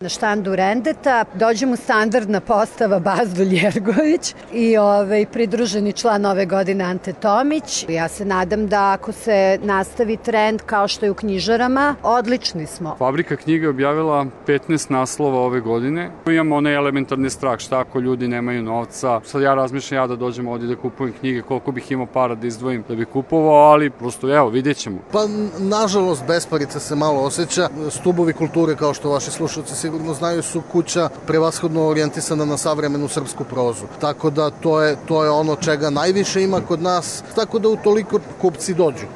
Na štandu Rendeta dođe mu standardna postava Bazdulj Jergović i pridruženi član ove godine Ante Tomić. Ja se nadam da ako se nastavi trend kao što je u knjižarama, odlični smo. Fabrika knjiga je objavila 15 naslova ove godine. Imamo onaj elementarni strah, šta ako ljudi nemaju novca. Sad ja razmišljam da dođem ovdje da kupujem knjige, koliko bih imao para da izdvojim da bih kupovao, ali prosto evo, vidjet ćemo. Pa nažalost besparica se malo osjeća. Stubovi kulture, kao što vaši slušalci sigurno znaju, su kuća prevashodno orijentisana na savremenu srpsku prozu. Tako da to je ono čega najviše ima kod nas, tako da utoliko kupci dođu.